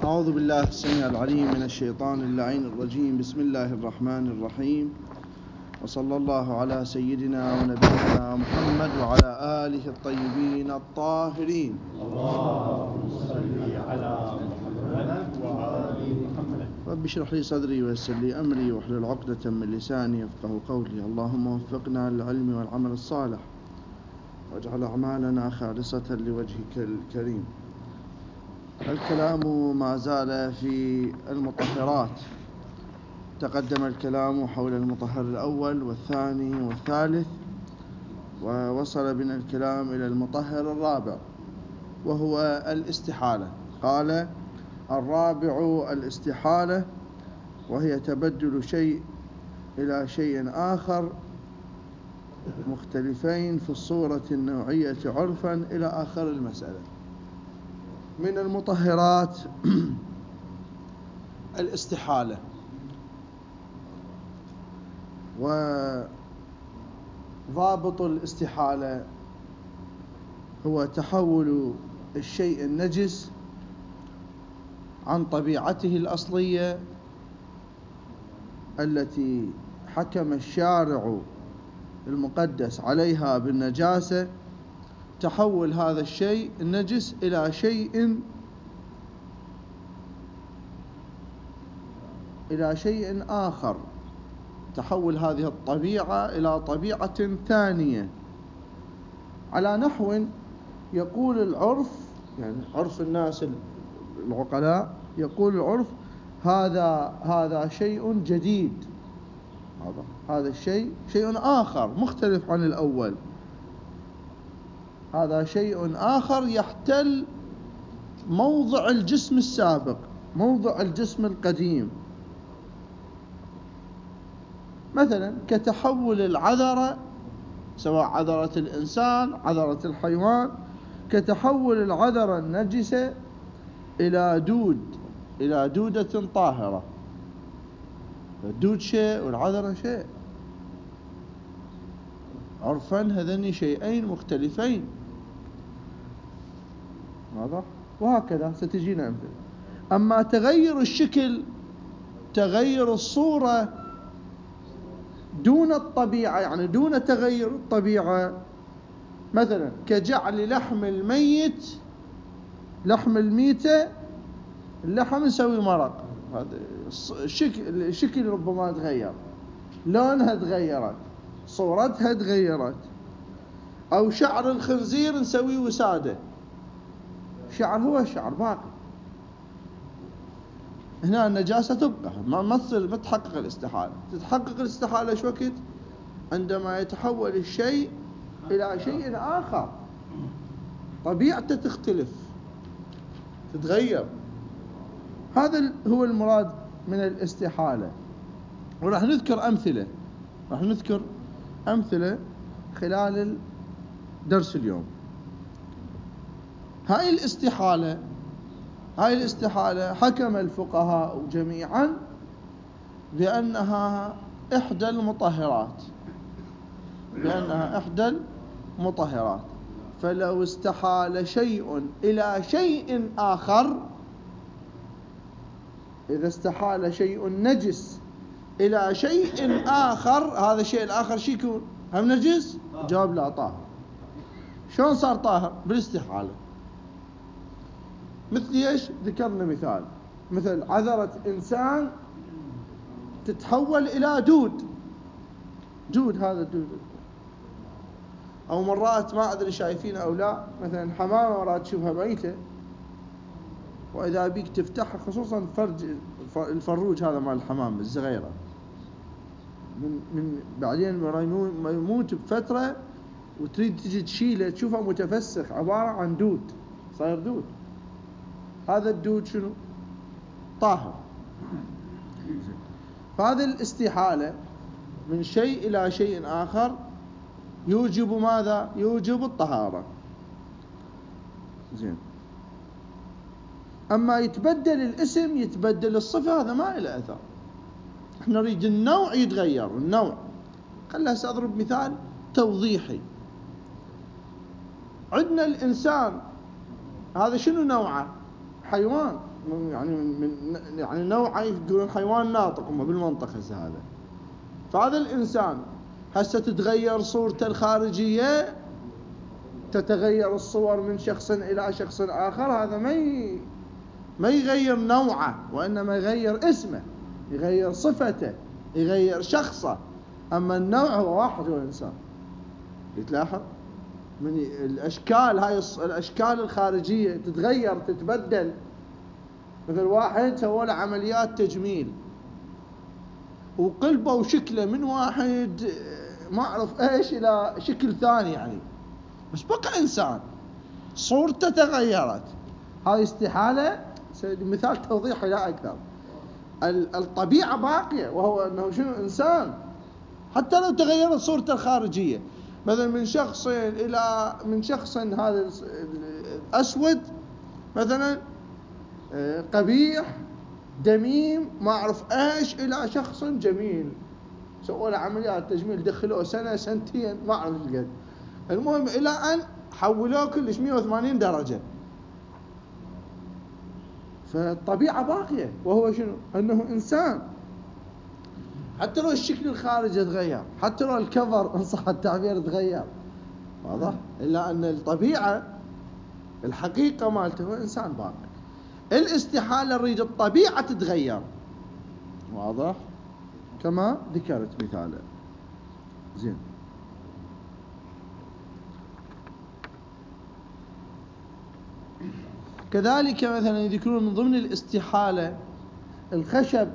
أعوذ بالله السميع العليم من الشيطان اللعين الرجيم. بسم الله الرحمن الرحيم، وصلى الله على سيدنا ونبينا محمد وعلى آله الطيبين الطاهرين. اللهم صل على محمد وآل محمد. رب اشرح لي صدري ويسر لي أمري واحلل عقدة من لساني يفقهوا قولي. اللهم وفقنا للعلم والعمل الصالح واجعل أعمالنا خالصة لوجهك الكريم. الكلام ما زال في المطهرات. تقدم الكلام حول المطهر الأول والثاني والثالث، ووصل بنا الكلام إلى المطهر الرابع وهو الاستحالة. قال: الرابع الاستحالة، وهي تبدل شيء إلى شيء آخر مختلفين في الصورة النوعية عرفا إلى آخر المسألة. من المطهرات الاستحالة، وضابط الاستحالة هو تحول الشيء النجس عن طبيعته الأصلية التي حكم الشارع المقدس عليها بالنجاسة، تحول هذا الشيء النجس إلى شيء آخر، تحول هذه الطبيعة إلى طبيعة ثانية، على نحو يقول العرف، يعني عرف الناس العقلاء، يقول العرف: هذا شيء جديد، هذا الشيء شيء آخر مختلف عن الأول، هذا شيء آخر يحتل موضع الجسم السابق، موضع الجسم القديم. مثلا كتحول العذرة، سواء عذرة الإنسان عذرة الحيوان، كتحول العذرة النجسة إلى دودة طاهرة. الدود شيء والعذرة شيء، عرفا هذين شيئين مختلفين، واضح؟ وهكذا ستجينا أمثلة. أما تغير الشكل، تغير الصورة دون الطبيعة، يعني دون تغير الطبيعة، مثلا كجعل لحم الميتة اللحم نسوي مرق، هذا الشكل ربما تغير، لونها تغيرت، صورتها تغيرت. أو شعر الخنزير نسوي وسادة، شعر هو الشعر باقي، هنا النجاسة تبقى، ما تحقق الاستحالة. تتحقق الاستحالة شو وقت؟ عندما يتحول الشيء إلى شيء آخر، طبيعته تختلف، تتغير. هذا هو المراد من الاستحالة. وراح نذكر أمثلة خلال الدرس اليوم. هاي الاستحالة حكم الفقهاء جميعا بأنها إحدى المطهرات. فلو استحال شيء إلى شيء آخر، إذا استحال شيء نجس إلى شيء آخر، هذا الشيء الآخر شو يكون؟ هم نجس؟ جواب لا، طاهر. شلون صار طاهر؟ بالاستحالة. مثل ايش؟ ذكرنا مثل عذرة إنسان تتحول إلى دود، هذا الدود. أو مرات ما أدري شايفين أو لا، مثلا حمامة مرات تشوفها ميتة، وإذا بيك تفتحها، خصوصا الفروج هذا مال الحمام الصغيرة، من بعدين ما يموت بفترة وتريد تجي تشيله، تشوفه متفسخ، عبارة عن دود، صاير دود. هذا الدود شنو؟ طاهر. فهذه الاستحالة من شيء إلى شيء آخر يوجب ماذا؟ يوجب الطهارة. زين. أما يتبدل الاسم، يتبدل الصفة، هذا ما له أثر. احنا نريد النوع يتغير، النوع. خلنا سأضرب مثال توضيحي. عندنا الإنسان، هذا شنو نوعه؟ حيوان، يعني نوعه يقولون حيوان ناطق هم بالمنطق هسه هذا. فهذا الإنسان هسه تتغير صورته الخارجية، تتغير الصور من شخص إلى شخص آخر، هذا ما يغير نوعه، وإنما يغير اسمه، يغير صفته، يغير شخصه. أما النوع هو واحد، هو الإنسان. يتلاحظ من الأشكال، هاي الأشكال الخارجية تتغير تتبدل. مثل واحد سووا له عمليات تجميل وقلبوا شكله من واحد ما أعرف إيش إلى شكل ثاني يعني، بس بقى إنسان، صورته تغيرت. هاي استحالة. مثال توضيحي لا أكثر. الطبيعة باقية، وهو أنه شنو؟ إنسان، حتى لو تغيرت صورته الخارجية. مثلا من شخص هذا أسود مثلا قبيح دميم ما أعرف إيش إلى شخص جميل، سووا له عمليات تجميل، دخلوه سنة سنتين ما أعرف إيش قد، المهم إلى أن حولوه كلش 180 درجة. فالطبيعة باقية، وهو شنو؟ أنه إنسان. حتى لو الشكل الخارجي تغير، حتى لو الكفر إن صح التعبير تغير، واضح؟ إلا أن الطبيعة الحقيقة مالته هو إنسان باقي. الاستحالة نريد الطبيعة تتغير، واضح؟ كما ذكرت مثالا. زين. كذلك مثلا يذكرون من ضمن الاستحالة الخشب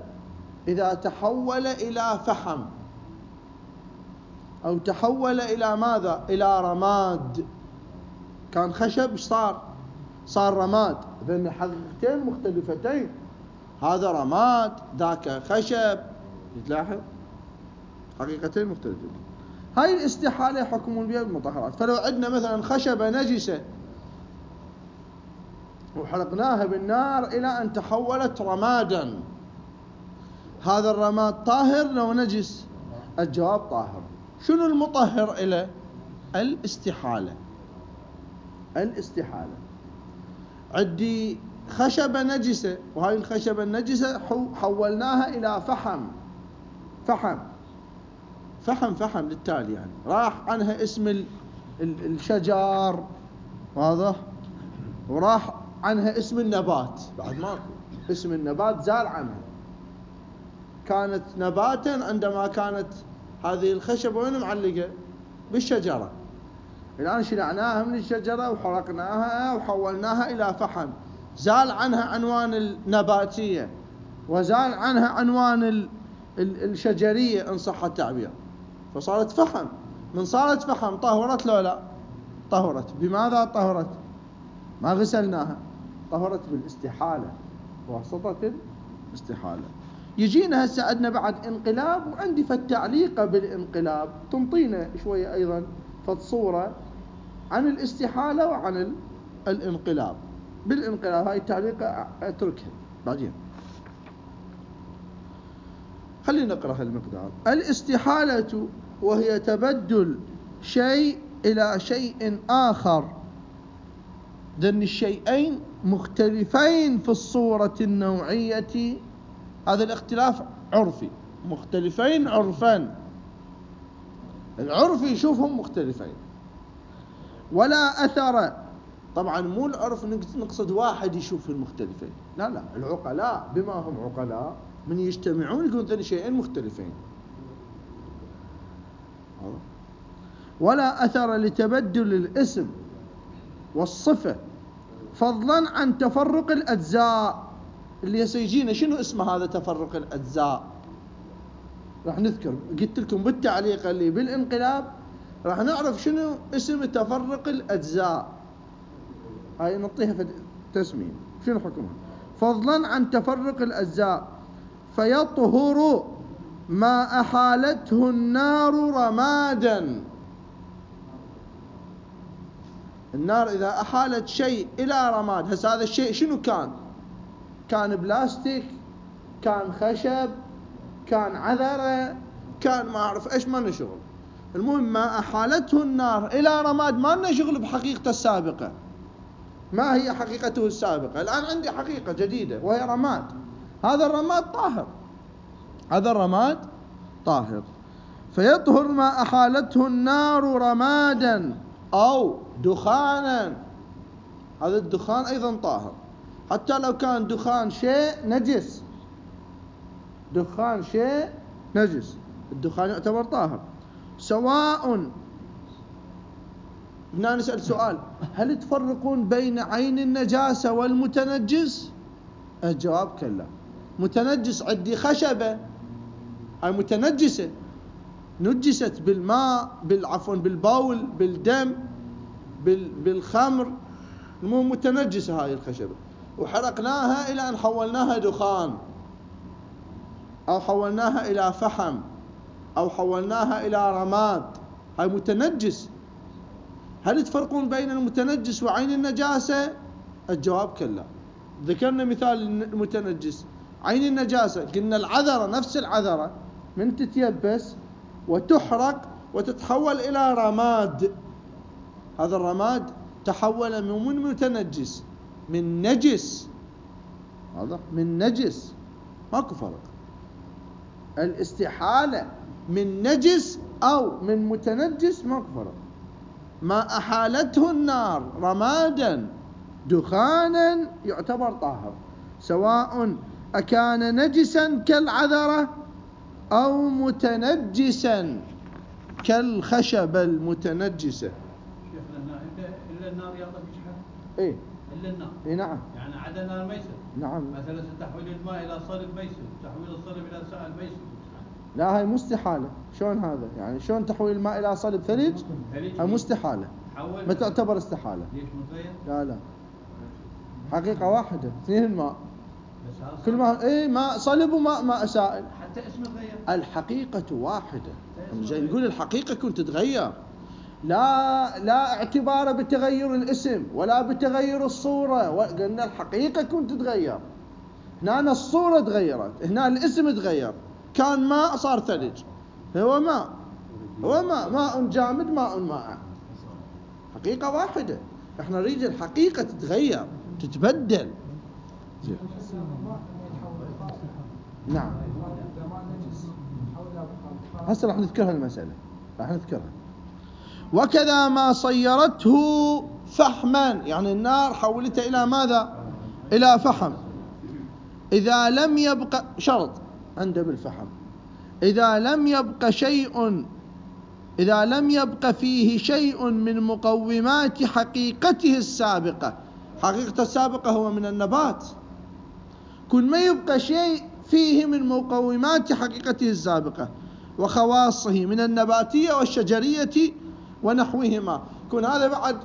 إذا تحول إلى فحم أو تحول إلى ماذا؟ إلى رماد. كان خشب صار رماد، بين حقيقتين مختلفتين، هذا رماد ذاك خشب. يتلاحظ حقيقتين مختلفتين. هاي الاستحالة يحكمون بها بالمطهرات. فلو عندنا مثلا خشبة نجسة وحرقناها بالنار إلى أن تحولت رمادا، هذا الرماد طاهر لو نجس؟ الجواب طاهر. شنو المطهر إلى؟ الاستحالة. عندي خشبة نجسة، وهاي الخشبة النجسة حولناها إلى فحم للتالي، يعني راح عنها اسم الشجر، واضح؟ وراح عنها اسم النبات، بعد ماكو اسم النبات زال عنها. كانت نباتا عندما كانت هذه الخشبة وين معلقة؟ بالشجرة. الآن شلعناها من الشجرة وحرقناها وحولناها إلى فحم، زال عنها عنوان النباتية وزال عنها عنوان الشجرية إن صح التعبير، فصارت فحم. من صارت فحم طهرت لو لا؟ طهرت. بماذا طهرت؟ ما غسلناها، طهرت بالاستحالة، بواسطة الاستحالة. يجينا هسه عندنا بعد انقلاب، وعندي فالتعليقة بالانقلاب تنطينا شوية أيضا فالصورة عن الاستحالة وعن الانقلاب. بالانقلاب هاي التعليقة اتركها بعدين، خلينا نقرأ المقدار. الاستحالة وهي تبدل شيء إلى شيء آخر، ذن الشيئين مختلفين في الصورة النوعية. هذا الاختلاف عرفي، مختلفين عرفا، العرف يشوفهم مختلفين. ولا أثر، طبعا مو العرف نقصد واحد يشوف المختلفين، لا، العقلاء بما هم عقلاء من يجتمعون يكون ذن شيئين مختلفين. ولا أثر لتبدل الاسم والصفة فضلا عن تفرق الأجزاء. اللي سيجينا شنو اسمه هذا تفرق الأجزاء؟ راح نذكر، قلت لكم بالتعليق اللي بالانقلاب راح نعرف شنو اسم تفرق الأجزاء. هاي نعطيها في تسمية، شنو حكمها؟ فضلا عن تفرق الأجزاء فيطهر ما أحالته النار رمادا. النار إذا أحالت شيء إلى رماد، هذا الشيء شنو كان بلاستيك، كان خشب، كان عذرة، كان ما أعرف إيش، ما لنا شغل. المهم ما أحالته النار إلى رماد، ما لنا شغل بحقيقته السابقة. ما هي حقيقته السابقة؟ الآن عندي حقيقة جديدة وهي رماد. هذا الرماد طاهر، هذا الرماد طاهر. فيطهر ما أحالته النار رمادا أو دخانا. هذا الدخان أيضا طاهر، حتى لو كان دخان شيء نجس، دخان شيء نجس الدخان يعتبر طاهر. سواء، هنا نسأل سؤال: هل تفرقون بين عين النجاسة والمتنجس؟ الجواب كلا. متنجس عندي خشبة، هاي متنجسة، نجست بالماء، عفوا بالبول، بالدم، بالخمر، المهم متنجسة هاي الخشبة، وحرقناها إلى أن حولناها دخان، أو حولناها إلى فحم، أو حولناها إلى رماد، هاي متنجس. هل تفرقون بين المتنجس وعين النجاسة؟ الجواب كلا. ذكرنا مثال المتنجس. عين النجاسة قلنا العذرة، نفس العذرة من تتيبس وتحرق وتتحول إلى رماد، هذا الرماد تحول من متنجس، من نجس، واضح؟ من نجس، ماكو فرق. الاستحالة من نجس أو من متنجس ماكو فرق. ما أحالته النار رمادا دخانا يعتبر طاهر، سواء أكان نجسا كالعذرة أو متنجسا كالخشبة المتنجسة. شيخنا إلا النار يا طبيعي. إيه إلا النار. إيه نعم. يعني عدا النار ما يصير. نعم. مثلا تحويل الماء إلى صلب ما يصير، تحويل الصلب إلى سائل ما يصير. لا هاي مستحالة. شلون هذا؟ يعني شلون تحويل الماء إلى صلب ثلج؟ هاي مستحالة. ما تعتبر استحالة. ليش متغير؟ لا حقيقة واحدة، اثنين الماء. كل ما ايه ماء صلب وماء سائل. حتى اسمه تغير. الحقيقة واحدة. جاي نقول الحقيقة كنت تتغير. لا اعتبار بتغير الاسم ولا بتغير الصورة، قلنا الحقيقة كنت تتغير. هنا الصورة تغيرت، هنا الاسم تغير. كان ماء صار ثلج. هو ماء جامد، ماء مائع. حقيقة واحدة. احنا نريد الحقيقة تتغير، تتبدل. نعم. هسه راح نذكرها المسألة، راح نذكرها. وكذا ما صيرته فحما، يعني النار حولتها إلى ماذا؟ إلى فحم. إذا لم يبقى شرط عنده بالفحم، إذا لم يبقى فيه شيء من مقومات حقيقته السابقة. حقيقته السابقة هو من النبات. كل ما يبقى شيء فيه من مقومات حقيقته السابقة وخواصه من النباتية والشجرية ونحوهما، كون هذا بعد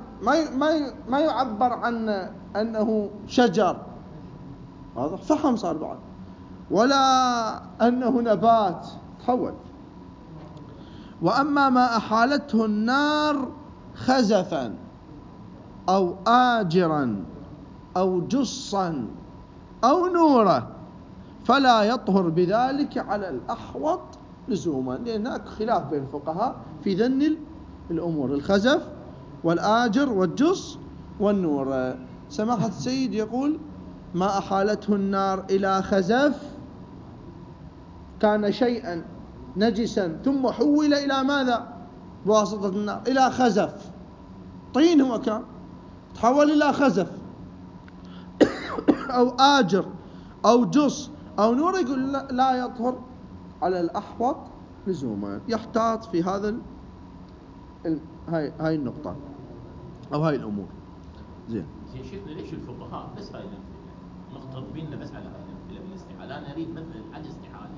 ما يعبر عن أنه شجر، واضح؟ فحم صار بعد، ولا أنه نبات، تحول. وأما ما أحالته النار خزفا أو آجرا أو جصا أو نورا فلا يطهر بذلك على الأحوط لزوما، لأن هناك خلاف بين الفقهاء في ذن الأمور: الخزف والآجر والجص والنور. سماحة السيد يقول: ما أحالته النار إلى خزف، كان شيئا نجسا ثم حول إلى ماذا بواسطة النار؟ إلى خزف. طين هو كان، تحول إلى خزف أو آجر أو جص أو نور، يقول لا يطهر على الأحوط لزوما. يحتاط في هذا هاي النقطة أو هاي الأمور. زين شيخنا، ليش الفقهاء بس هاي الأمثلة مختصرين بس على هاي الأمثلة بالاستحالة؟ أنا أريد مثلا على الاستحالة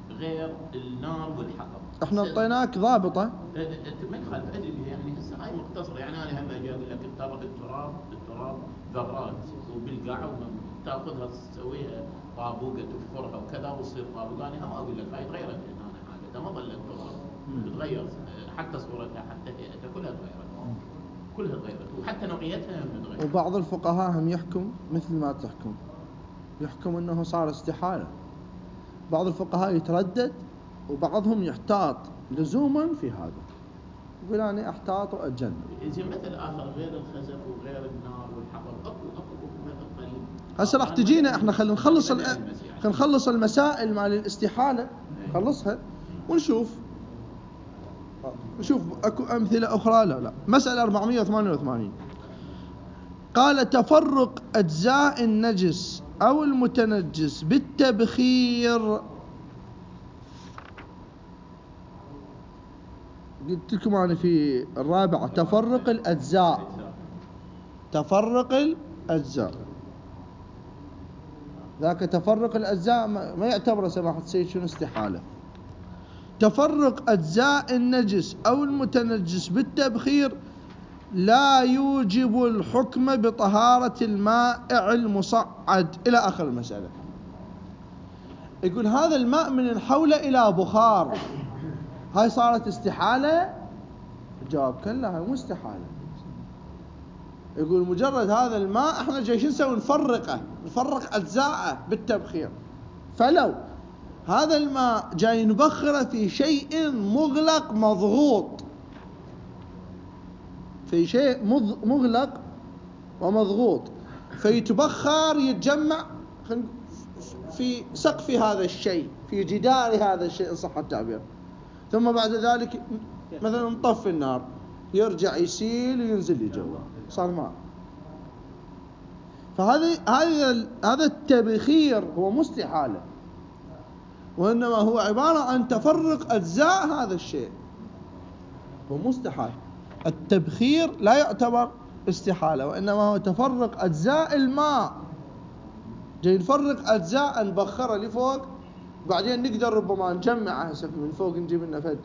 غير النار والحطب. احنا اعطيناك ضابطة. ما يخالف، ادري بها، يعني هسه هاي مختصره. يعني انا هم اجي اقول لك التراب ذرات وبالقاع، تاخذها تسويها طابوقه تفرها وكذا وتصير طابوقه. انا هم اقول لك هاي تغيرت هنا حاجه، ما ظلت تتغير، حتى صورتها حتى هيئتها كلها تغيرت وحتى نوعيتها هم تغيرت. وبعض الفقهاء هم يحكم مثل ما تحكم، يحكم انه صار استحالة. بعض الفقهاء يتردد وبعضهم يحتاط لزوما في هذا، يقول أنا أحتاط وأتجنب. زين مثل آخر غير الخزف وغير النار والحطب، هسه راح تجينا احنا خلينا نخلص المسائل مال الاستحالة، نخلصها ونشوف اكو امثلة اخرى. لا مسألة 488 قال تفرق اجزاء النجس او المتنجس بالتبخير. قلت لكم انا في الرابعة تفرق الاجزاء، ذاك تفرق الأجزاء ما يعتبر سماحة السيد شنو استحالة. تفرق أجزاء النجس أو المتنجس بالتبخير لا يوجب الحكم بطهارة المائع المصعد إلى آخر المسألة. يقول هذا الماء من نحوله إلى بخار، هاي صارت استحالة؟ الجواب كلا، هاي مو استحالة. يقول مجرد هذا الماء احنا جايين نسوي نفرق أجزاءه بالتبخير، فلو هذا الماء جاي نبخره في شيء مغلق مضغوط، في شيء مغلق ومضغوط، فيتبخر يتجمع في سقف هذا الشيء، في جدار هذا الشيء إن صح التعبير، ثم بعد ذلك مثلا نطفي النار يرجع يسيل وينزل لي جوا، صار ماء. هذا التبخير هو مستحالة، وإنما هو عبارة عن تفرق أجزاء هذا الشيء، هو مستحيل. التبخير لا يعتبر استحالة، وإنما هو تفرق أجزاء الماء، جاي نفرق أجزاء نبخرها لفوق، بعدين نقدر ربما نجمعها من فوق، نجيب لنا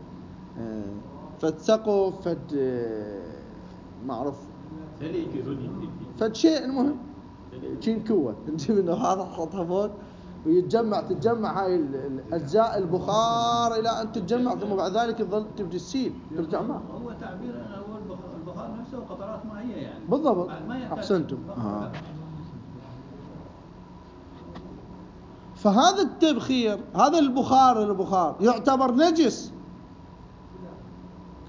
فد سقف، فد معروف فد شيء، المهم شين كوة نجيب لنا هذا نحطها فوق تتجمع هاي الأجزاء البخار إلى أن تتجمع، ثم بعد ذلك تظل تبدي تسيل ترجع ماء. هو تعبير هو البخار نفسه قطرات مائية يعني. بالضبط، أحسنتم. فهذا التبخير، هذا البخار يعتبر نجس.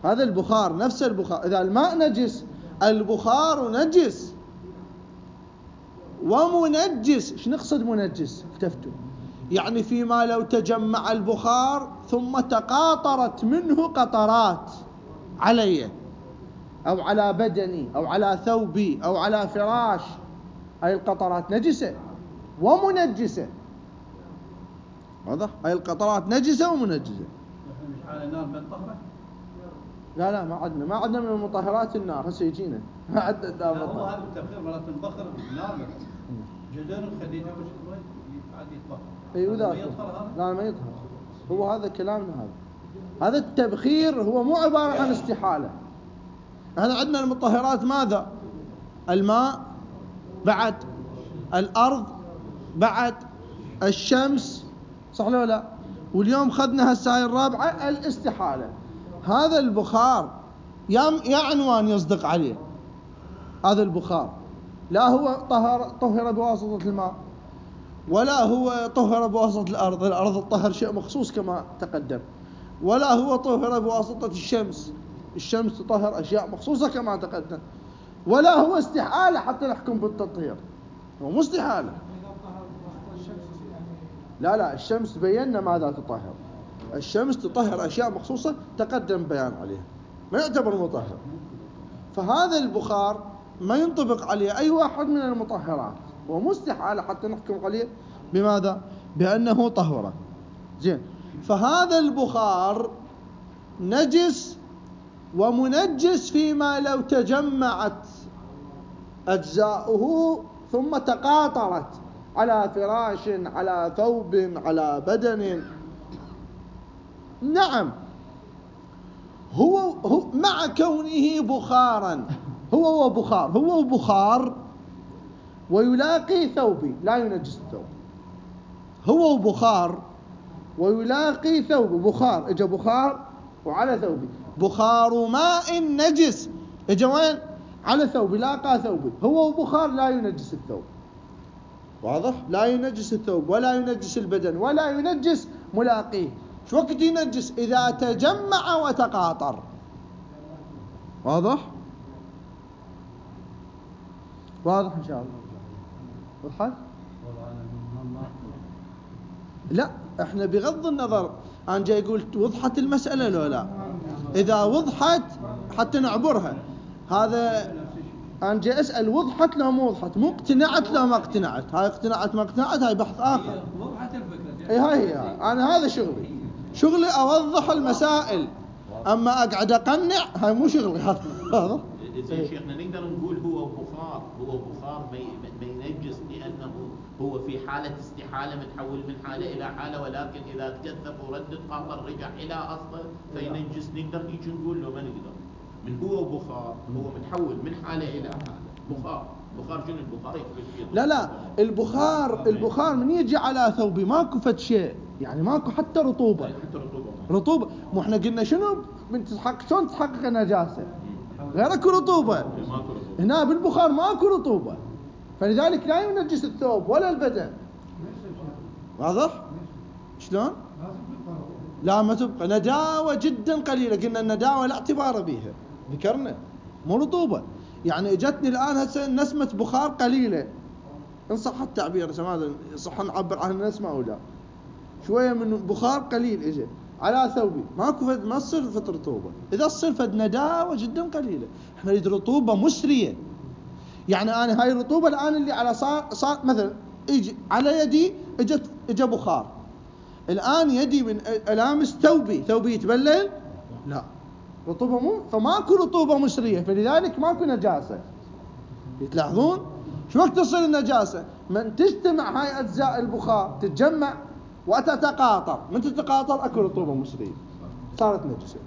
هذا البخار نفس البخار، إذا الماء نجس البخار نجس ومنجس. ايش نقصد منجس؟ اكتفتوا يعني فيما لو تجمع البخار ثم تقاطرت منه قطرات علي أو على بدني أو على ثوبي أو على فراش، هاي القطرات نجسة ومنجسة. واضح؟ هاي القطرات نجسة ومنجسة. مش على النار بنطهره؟ لا ما عندنا من المطهرات النار، هسه يجينا ما عندنا النار. هو هذا التبخير مرات نبخر بالنار جزء نخليه عادي يطهر. ايوه ذاك. لا ما يطهر، هو هذا كلامنا. هذا التبخير هو مو عبارة عن استحالة. احنا عندنا المطهرات ماذا؟ الماء، بعد الأرض، بعد الشمس، صح ولا لا؟ واليوم خذنا هسه الرابعة الاستحالة. هذا البخار يا عنوان يصدق عليه، هذا البخار لا هو طهر بواسطة الماء، ولا هو طهر بواسطة الأرض الطهر شيء مخصوص كما تقدم، ولا هو طهر بواسطة الشمس تطهر أشياء مخصوصة كما تقدم، ولا هو استحالة حتى نحكم بالتطهير، هو مستحالة. لا الشمس بينا ماذا تطهر، الشمس تطهر أشياء مخصوصة تقدم بيان عليها، ما يعتبر مطهر. فهذا البخار ما ينطبق عليه أي واحد من المطهرات، ومستحيل حتى نحكم عليه بماذا؟ بأنه طهورة. زين، فهذا البخار نجس ومنجس فيما لو تجمعت أجزاؤه ثم تقاطرت على فراش، على ثوب، على بدن. نعم، هو مع كونه بخارا، هو بخار ويلاقي ثوبي لا ينجس الثوب. هو بخار ويلاقي ثوب، بخار اجا بخار وعلى ثوبي، بخار ماء نجس اجا وين؟ على ثوبي، لاقى ثوبي. هو بخار لا ينجس الثوب، واضح؟ لا ينجس الثوب ولا ينجس البدن ولا ينجس ملاقيه. شو وقت ينجس؟ إذا تجمع وتقاطر. واضح إن شاء الله؟ وضحت؟ لا، احنا بغض النظر انا جاي اقول وضحت المسألة لو لا. اذا وضحت حتى نعبرها، هذا انا جاي اسأل وضحت لو مو وضحت، مو اقتنعت لو ما اقتنعت. هاي اقتنعت ما اقتنعت هاي بحث اخر. وضحت الفكرة. اي هاي انا هذا شغلي اوضح المسائل. اما اقعد اقنع هاي مو شغلي هذا. زين شيخنا نقدر نقول هو بخار ما ينجس لانه هو في حاله استحاله متحول من حاله الى حاله، ولكن اذا تكثف وردد خاطر رجع الى اصله فينجس. نقدر هيك نقول لو ما نقدر من هو بخار هو متحول من حاله الى حاله. بخار شنو البخار؟ لا البخار من يجي على ثوبي ماكو فد شيء، يعني ماكو حتى رطوبه. مو احنا قلنا شنو شلون تحقق النجاسه؟ غير اكو رطوبه. هنا بالبخار ماكو رطوبه، فلذلك لا ينجس الثوب ولا البدن. واضح شلون؟ لا ما تبقى نداوه جدا قليله. قلنا النداوه لا اعتبار بها، ذكرنا مو رطوبه. يعني اجتني الان هسه نسمه بخار قليله، ان صح التعبير، ماذا صح نعبر عن النسمه او لا. شويه من بخار قليل اجى على ثوبي، ماكو فد ما تصير فد رطوبه. اذا تصير فد نداوه جدا قليله. احنا نريد رطوبه مسريه. يعني انا هاي الرطوبه الان اللي على صار مثلا يجي على يدي اجى بخار، الان يدي من الامس ثوبي يتبلل، لا رطوبه مو، فماكو رطوبه مسريه، فلذلك ماكو نجاسه. تلاحظون شو وقت تصير النجاسه؟ من تجتمع هاي اجزاء البخار تتجمع وتتقاطر، من تتقاطر اكو رطوبه مسريه صارت نجسه.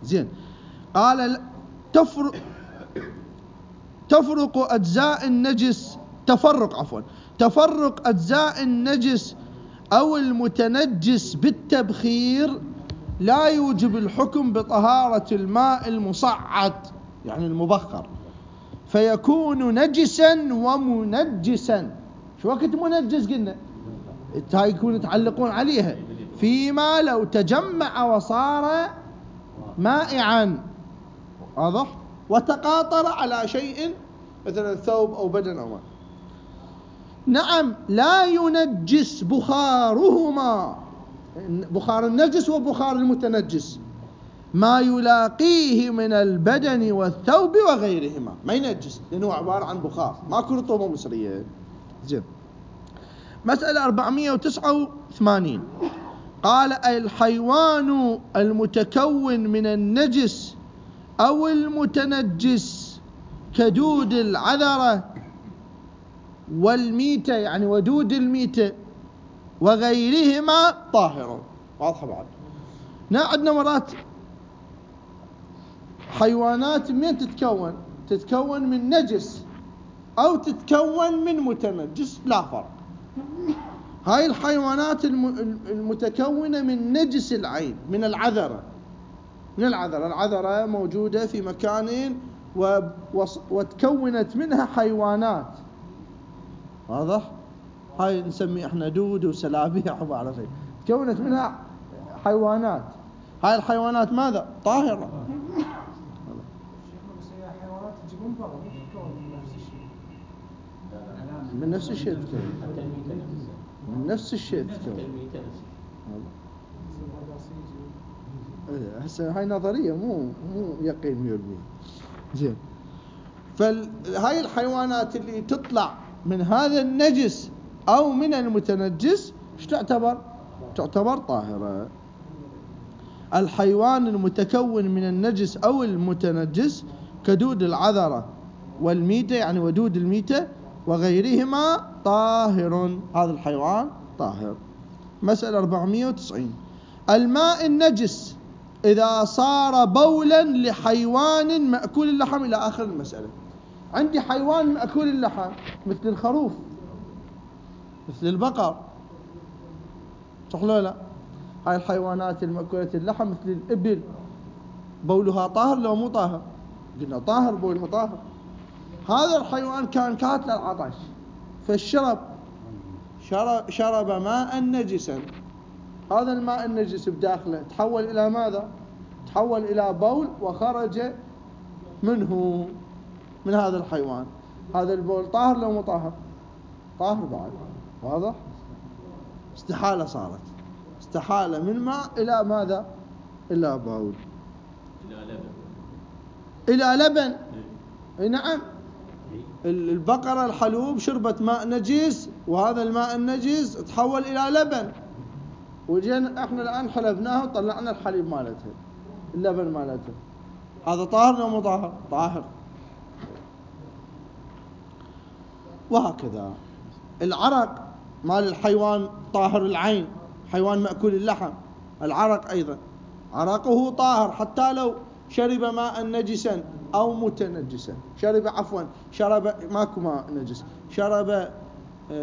زين قال تفرق أجزاء النجس أو المتنجس بالتبخير لا يوجب الحكم بطهارة الماء المصعد، يعني المبخر، فيكون نجسا ومنجسا. شو وقت منجس قلنا؟ هاي يكون يتعلقون عليها فيما لو تجمع وصار مائعا، واضح، وتقاطر على شيء مثلا ثوب أو بدن أو ماء. نعم لا ينجس بخارهما، بخار النجس وبخار المتنجس، ما يلاقيه من البدن والثوب وغيرهما، ما ينجس لأنه عبارة عن بخار ماكو رطوبة مسرية. زين مسألة 489 قال الحيوان المتكون من النجس أو المتنجس كدود العذرة والميتة، يعني ودود الميتة وغيرهما طاهر. واضحة بعد؟ عندنا مرات حيوانات من تتكون من نجس أو تتكون من متنجس، لا فرق. هاي الحيوانات المتكونة من نجس العين من العذرة، العذرة موجودة في مكان وتكونت منها حيوانات، واضح؟ هاي نسمي احنا دود وسلابيع وبعرف ايه، تكونت منها حيوانات. هاي الحيوانات ماذا؟ طاهرة. من نفس الشيء تتكون، من نفس الشيء تتكون. هسه هاي نظرية مو يقين 100%. زين فهاي الحيوانات اللي تطلع من هذا النجس أو من المتنجس ايش تعتبر طاهرة. الحيوان المتكون من النجس أو المتنجس كدود العذرة والميتة، يعني ودود الميتة وغيرهما طاهر، هذا الحيوان طاهر. مسألة 490 الماء النجس إذا صار بولا لحيوان مأكول اللحم، إلى آخر المسألة. عندي حيوان مأكول اللحم مثل الخروف، مثل البقر، صح ولا لا؟ هاي الحيوانات المأكولة اللحم مثل الإبل، بولها طاهر لو مو طاهر؟ قلنا طاهر، بولها طاهر. هذا الحيوان كان كاتل العطش شرب ماء نجسا، هذا الماء النجس بداخله تحول إلى ماذا؟ تحول إلى بول وخرج منه من هذا الحيوان. هذا البول طاهر لو مو طاهر؟ طاهر بعد. واضح؟ استحالة صارت، استحالة من ماء إلى ماذا؟ إلى بول، إلى لبن. نعم، البقرة الحلوب شربت ماء نجس، وهذا الماء النجس تحول إلى لبن، وجينا احنا الآن حلبناه وطلعنا الحليب مالتها، اللبن مالتها، هذا طاهر ولا مو طاهر؟ طاهر. وهكذا العرق مال الحيوان طاهر العين، حيوان مأكول اللحم، العرق أيضا عرقه طاهر حتى لو شرب ماء نجسا أو متنجسا، شرب ماكو ماء نجس،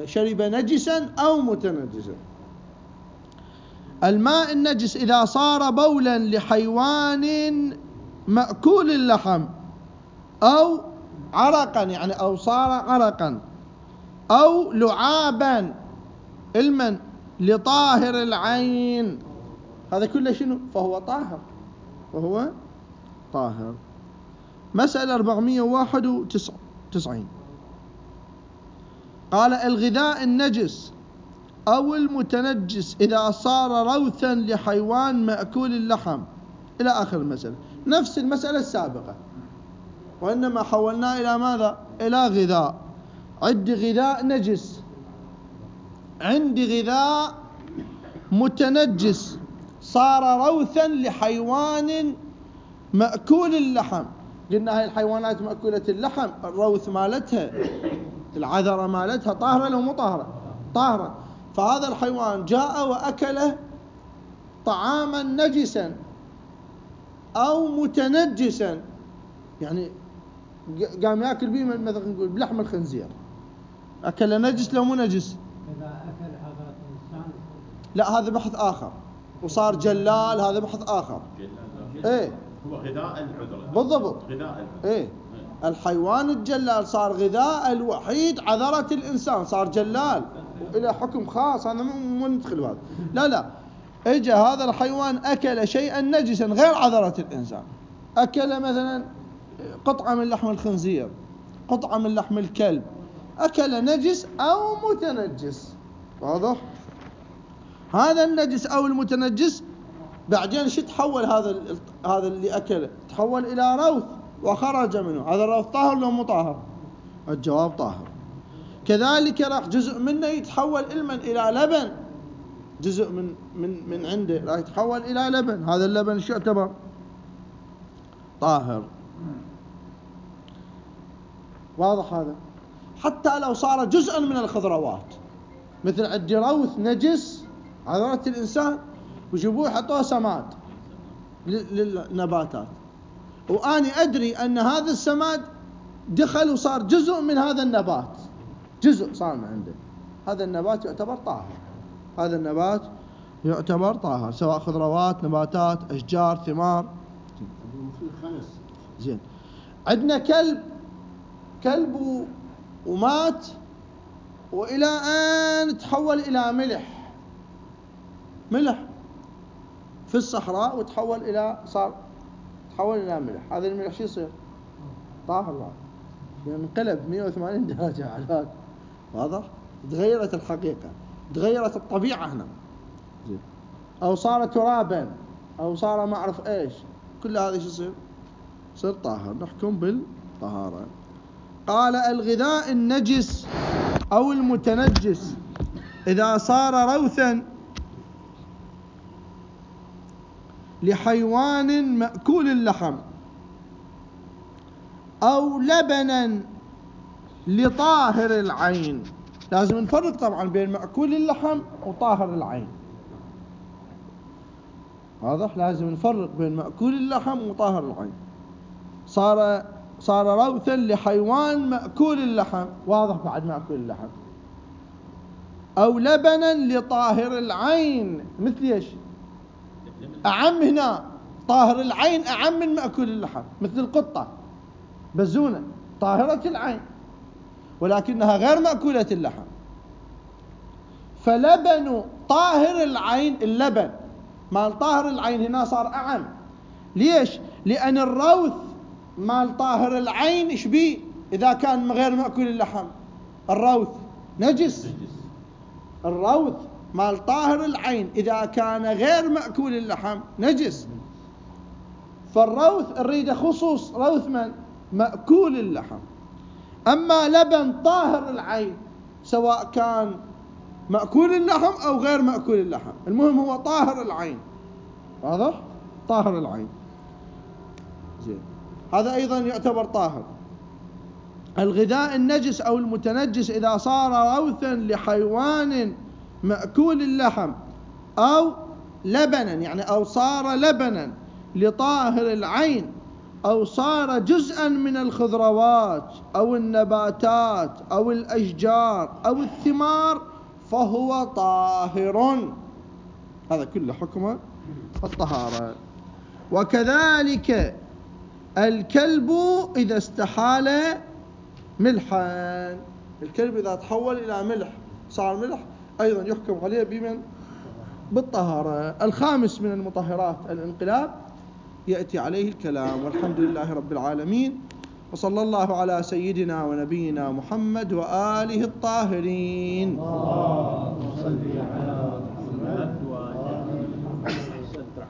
شرب نجسا أو متنجسا. الماء النجس إذا صار بولا لحيوان مأكول اللحم أو عرقا، يعني أو صار عرقا أو لعابا المن لطاهر العين، هذا كله شنو؟ فهو طاهر، وهو طاهر. مسألة 491 قال: الغذاء النجس أو المتنجس إذا صار روثا لحيوان مأكول اللحم، إلى آخر المسألة، نفس المسألة السابقة، وإنما حولنا إلى ماذا؟ إلى غذاء. عندي غذاء نجس، عندي غذاء متنجس صار روثا لحيوان مأكول اللحم. قلنا هاي الحيوانات مأكولة اللحم الروث مالتها، العذرة مالتها طاهرة لو مو طاهرة؟ طاهرة. فهذا الحيوان جاء وأكل طعاما نجسا أو متنجسا، يعني قام يأكل به مثلا نقول بلحم الخنزير، أكل نجس لو مو نجس؟ إذا أكل عضلة الإنسان لا، هذا بحث آخر، وصار جلال، هذا بحث آخر. إيه، هو غذاء العذرة بالضبط، غذاء إيه، الحيوان الجلال صار غذاء الوحيد عذرة الإنسان، صار جلال وإلى حكم خاص، أنا مو ندخل هذا. لا، إجا هذا الحيوان أكل شيئا نجسا غير عذرة الإنسان، أكل مثلا قطعة من لحم الخنزير، قطعة من لحم الكلب، أكل نجس أو متنجس، واضح؟ هذا النجس أو المتنجس بعدين شو تحول؟ هذا اللي أكله تحول إلى روث وخرج منه، هذا الروث طاهر لو مو طاهر؟ الجواب طاهر. كذلك راح جزء منه يتحول إلى لبن، جزء من عنده راح يتحول إلى لبن، هذا اللبن شو يعتبر؟ طاهر. واضح هذا؟ حتى لو صار جزءا من الخضروات، مثل عندي روث نجس عذرة الإنسان وجيبوه حطوه سماد للنباتات، وأني أدري أن هذا السماد دخل وصار جزء من هذا النبات، جزء صار من عنده، هذا النبات يعتبر طاهر، هذا النبات يعتبر طاهر، سواء خضروات، نباتات، أشجار، ثمار. زين، عندنا كلب ومات وإلى أن تحول إلى ملح في الصحراء، وتحول إلى ملح، هذا الملح شو يصير؟ طاهر بعد، يعني انقلب 180 درجة على هذا، واضح؟ تغيرت الحقيقة، تغيرت الطبيعة هنا، أو صار ترابا، أو صار ما أعرف إيش، كل هذا شو يصير؟ يصير طاهر، نحكم بالطهارة. قال: الغذاء النجس أو المتنجس إذا صار روثا لحيوان مأكول اللحم أو لبنا لطاهر العين. لازم نفرق طبعا بين مأكول اللحم وطاهر العين، واضح؟ لازم نفرق بين مأكول اللحم وطاهر العين. صار روثا لحيوان مأكول اللحم، واضح؟ بعد مأكول اللحم. أو لبنا لطاهر العين، مثل ايش؟ أعم هنا، طاهر العين أعم من مأكول اللحم، مثل القطة بزونة طاهرة العين ولكنها غير مأكولة اللحم. فلبن طاهر العين، اللبن مال طاهر العين هنا صار أعم. ليش؟ لأن الروث مال طاهر العين إيش بيه إذا كان غير مأكول اللحم؟ الروث نجس، الروث مال طاهر العين إذا كان غير مأكول اللحم نجس، فالروث نريد خصوص روث من مأكول اللحم. أما لبن طاهر العين سواء كان مأكول اللحم أو غير مأكول اللحم، المهم هو طاهر العين. واضح؟ طاهر العين زين، هذا أيضا يعتبر طاهر. الغذاء النجس أو المتنجس إذا صار روثا لحيوان مأكول اللحم أو لبنا، يعني أو صار لبنا لطاهر العين، أو صار جزءا من الخضروات أو النباتات أو الأشجار أو الثمار فهو طاهر. هذا كله حكمه الطهارة. وكذلك الكلب إذا استحال ملحا، الكلب إذا تحول إلى ملح صار ملح أيضا يحكم عليه بمن؟ بالطهارة. الخامس من المطهرات الانقلاب يأتي عليه الكلام. والحمد لله رب العالمين، وصلى الله على سيدنا ونبينا محمد وآله الطاهرين.